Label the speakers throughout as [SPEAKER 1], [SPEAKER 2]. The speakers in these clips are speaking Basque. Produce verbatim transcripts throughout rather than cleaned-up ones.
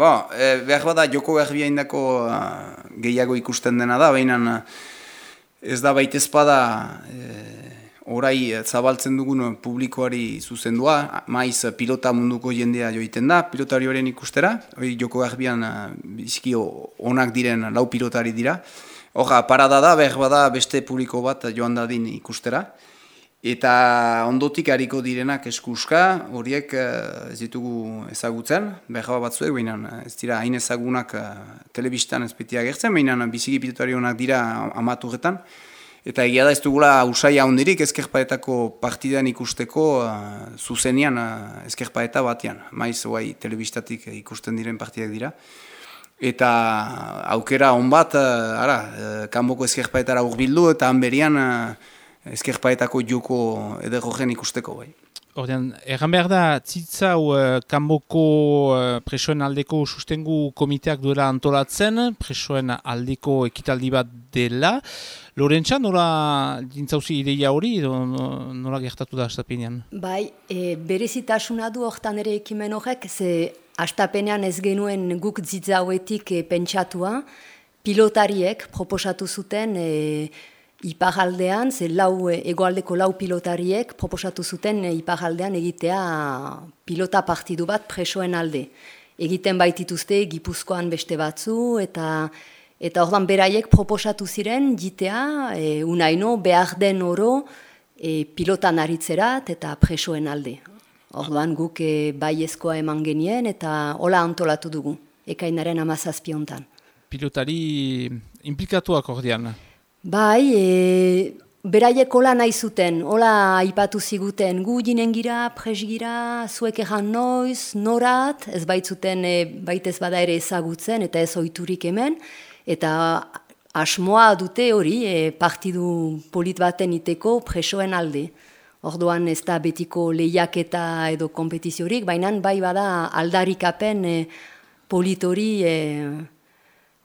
[SPEAKER 1] bo, e, behar bada joko garbia indako gehiago ikusten dena da, baina ez da baitezpada e, orai zabaltzen dugun publikoari zuzendua, maiz pilota munduko jendea joiten da, pilotari horien ikustera, hori joko garbian biziki onak diren lau pilotari dira. Hora, parada da, behar bada beste publiko bat joan dadin ikustera. Eta ondotik hariko direnak eskuska, horiek ez ditugu ezagutzen, behar batzuek, baina ez dira hain ezagunak telebistan ez beti agertzen, baina biziki pilotari honak dira amaturretan. Eta egia da ez dugula usaia hondirik ezkerpaetako partidan ikusteko uh, zuzenian uh, ezkerpaeta batean. Maiz guai telebistatik ikusten diren partidak dira. Eta aukera honbat, uh, ara, uh, kanboko ezkerpaetara urbildu eta hanberian uh, ezkerpaetako joko ederrogen ikusteko bai.
[SPEAKER 2] Ordean, erran behar da, tzitzau uh, kanboko uh, presoen aldeko sustengu komiteak duela antolatzen, presoen aldeko ekitaldi bat dela. Lorentza, nola dintzauzi ideia hori, edo nola gertatu da astapenean?
[SPEAKER 3] Bai, e, berezitasuna du hortan ere ekimen horrek, ze astapenean ez genuen guk zitzauetik e, pentsatua, pilotariek proposatu zuten e, iparaldean, ze lau, egoaldeko lau pilotariek proposatu zuten e, iparaldean egitea pilota partidu bat presoen alde. Egiten baitituzte Gipuzkoan beste batzu, eta eta ordan beraiek proposatu ziren jitea, e, unaino behar den oro e, pilotan aritzerat eta presoen alde. Ordan guk e, baiezkoa eman genien eta hola antolatu dugu, ekainaren hamazazpi hontan.
[SPEAKER 2] Pilotari implikatuak ordean?
[SPEAKER 3] Bai, e, beraiek hola nahi zuten, hola aipatu ziguten, gu jinen gira, pres gira, zuek erran noiz, norat, ez baitzuten e, baitez bada ere ezagutzen eta ez ohiturik hemen, eta asmoa dute hori e, partidu polit baten iteko presoen alde. Orduan ez da betiko lehiaketa edo kompetiziorik, baina bai bada aldarikapen e, polit hori e,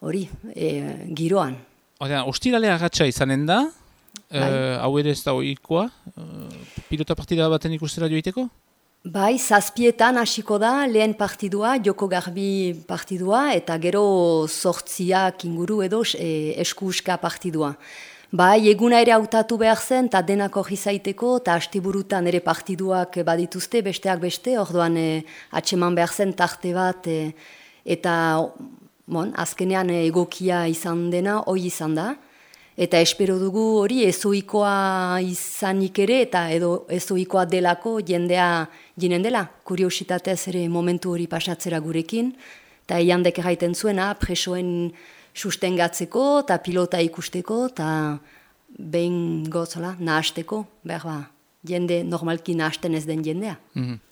[SPEAKER 3] hori e, giroan.
[SPEAKER 2] Ordean, ostiralea agatsa izanen da, bai. e, hau ere ez da ohikoa, e, pilota partida baten ikustera joiteko?
[SPEAKER 3] Bai, zazpietan hasiko da lehen partidua, joko garbi partidua, eta gero sortziak inguru edo e, eskuuska partidua. Bai, eguna ere hautatu behar zen, eta denak hori zaiteko, eta astiburutan ere partiduak badituzte, besteak beste, orduan e, atseman behar zen tarte bat, e, eta bon, azkenean egokia izan dena, hoi izan da. Eta espero dugu hori ezoikoa izanik ere eta edo ezoikoa delako jendea jinen dela. Kuriositatez ere momentu hori pasatzera gurekin. Eta eiandek erraiten zuena presoen sustengatzeko eta pilota ikusteko eta behin gozala nahasteko. Behar ba, jende normalki nahasten ez den jendea.
[SPEAKER 2] Mm-hmm.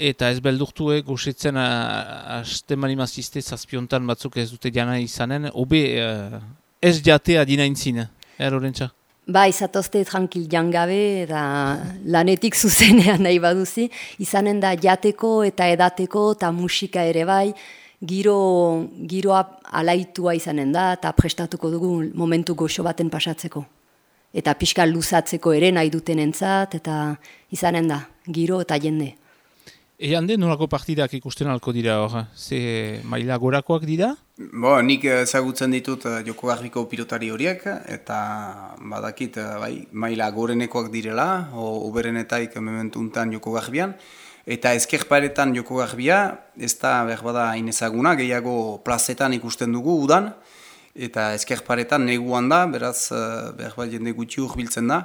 [SPEAKER 2] Eta ez beldurtuek gusitzen haste marimazizte zazpiontan batzuk ez dute jana izanen, obe uh, ez jatea dinaintzin, eh, Lorentza?
[SPEAKER 3] Ba, izatozte tranquil jangabe eta lanetik zuzenean nahi baduzi, izanen da jateko eta edateko eta musika ere bai, giro, giroa alaitua izanen da eta prestatuko dugu momentu goxo baten pasatzeko. Eta pixka luzatzeko ere nahi duten entzat eta izanen da, giro eta jende.
[SPEAKER 2] Ean den nolako partidak ikusten alko dira hor? Ze maila gorakoak dira?
[SPEAKER 1] Bo, nik ezagutzen ditut joko garbiko pilotari horiek, eta badakit bai, maila gorenekoak direla, o uberenetaik mementuntan joko garbian, eta ezkerparetan joko garbia, ez da behar bada hain ezaguna, gehiago plazetan ikusten dugu udan, eta ezkerparetan neguan da, beraz behar bada jende gutxi urbiltzen da,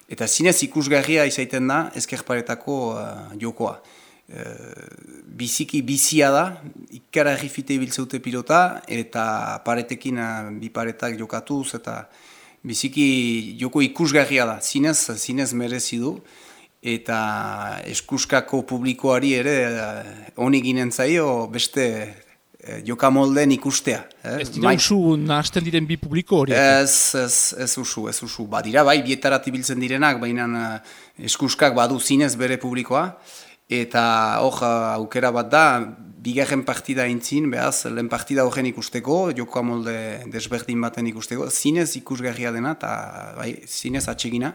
[SPEAKER 1] eta zinez ikusgarria izaiten da ezkerparetako uh, jokoa. Uh, biziki bizia da, ikara errifite ibiltzeute pilota, eta paretekin uh, bi paretak jokatuz, eta biziki joko ikusgarria da, zinez, zinez merezi du, eta eskuskako publikoari ere uh, honi ginen zaio beste uh, jokamolden ikustea.
[SPEAKER 2] Eh? Ez dira usu nahasten diren bi publiko horiek?
[SPEAKER 1] Ez, ez, ez usu, ez usu. Badira, bai, bietarat ibiltzen direnak, baina uh, eskuskak badu zinez bere publikoa, eta hor aukera bat da, bigarren partida intzin, behaz, lehen partida horren ikusteko, joko amolde desberdin baten ikusteko, zinez ikusgarria dena, eta bai, zinez atsegina.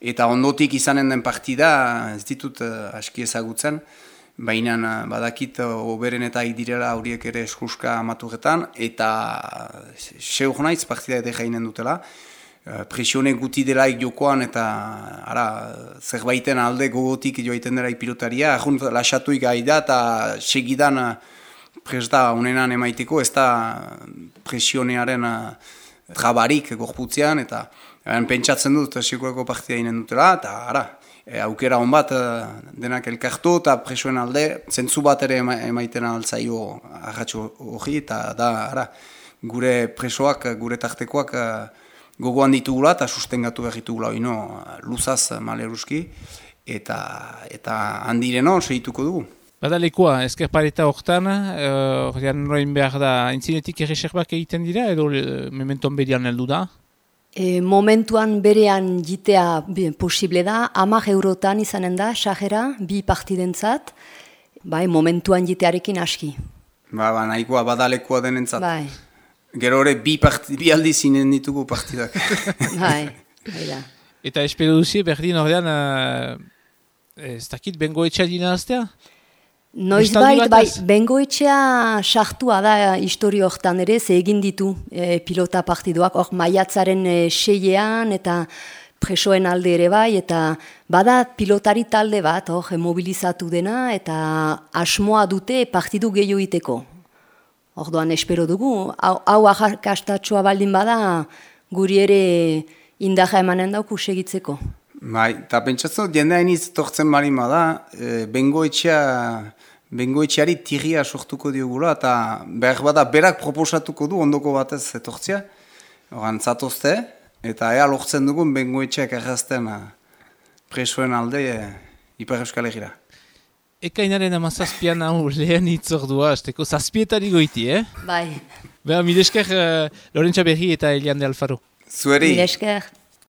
[SPEAKER 1] Eta ondotik izanen den partida, ez ditut uh, aski ezagutzen, baina badakit oberenetak direla horiek ere eskuska amaturetan, eta seur naiz partida ere jainen dutela. Presione guti delaik jokoan eta ara, zerbaiten alde gogotik joaiten delaik pilotaria, ahunt lasatuik gaida eta segidan pres da unenan emaiteko, ez da presionearen trabarik gorputzean, eta pentsatzen dut sekurako partida inen dutela, eta ara, e, aukera hon bat denak elkartu eta presioen alde, zentzu bat ere emaiten altzaio ahatxo hori, eta da, ara, gure presoak, gure tartekoak gogoan ditugula eta sustengatu behar ditugula oino luzaz maleruski, eta, eta handireno segituko dugu.
[SPEAKER 2] Bada lekoa, ezker pareta horretan, horrean uh, behar da, entzinetik erreserbak egiten dira, edo uh, mementon berian heldu da?
[SPEAKER 3] E, momentuan berean jitea posible da, hamar eurotan izanen da, sajera, bi partidentzat, bai, momentuan jitearekin aski.
[SPEAKER 1] Ba, ba, nahikoa badalekoa denentzat.
[SPEAKER 3] Bai.
[SPEAKER 1] Gero hori bi, bi aldi zinen ditugu partidak.
[SPEAKER 3] Bai, bai da.
[SPEAKER 2] Eta espero duzie, berdin horrean, uh, ez dakit, bengoetxea dina aztea?
[SPEAKER 3] Noiz bait, bai, bengoetxea sartua da historio hortan ere, ze egin ditu e, pilota partiduak, hor maiatzaren e, seiean eta presoen alde ere bai, eta bada pilotari talde bat, hor, mobilizatu dena, eta asmoa dute partidu gehiago iteko. Orduan espero dugu, hau, hau ahakastatxoa baldin bada, guri ere indaja emanen dauku segitzeko.
[SPEAKER 1] Bai, eta pentsatzen dut, jendea iniz tortzen marima da, e, bengoetxea, bengoetxeari tiria sortuko diogula, eta behar bada berak proposatuko du ondoko batez etortzea, oran zatozte, eta ea lortzen dugun bengoetxeak errazten presoen alde e, Ipar Euskal Herriera.
[SPEAKER 2] Ekainaren amazazpian hau lehen itzordua, azteko zazpietari goiti, eh?
[SPEAKER 3] Bai.
[SPEAKER 2] Beha, milesker uh, Lorentza Berri eta Elian de Alfaro.
[SPEAKER 1] Zueri.
[SPEAKER 3] Milesker.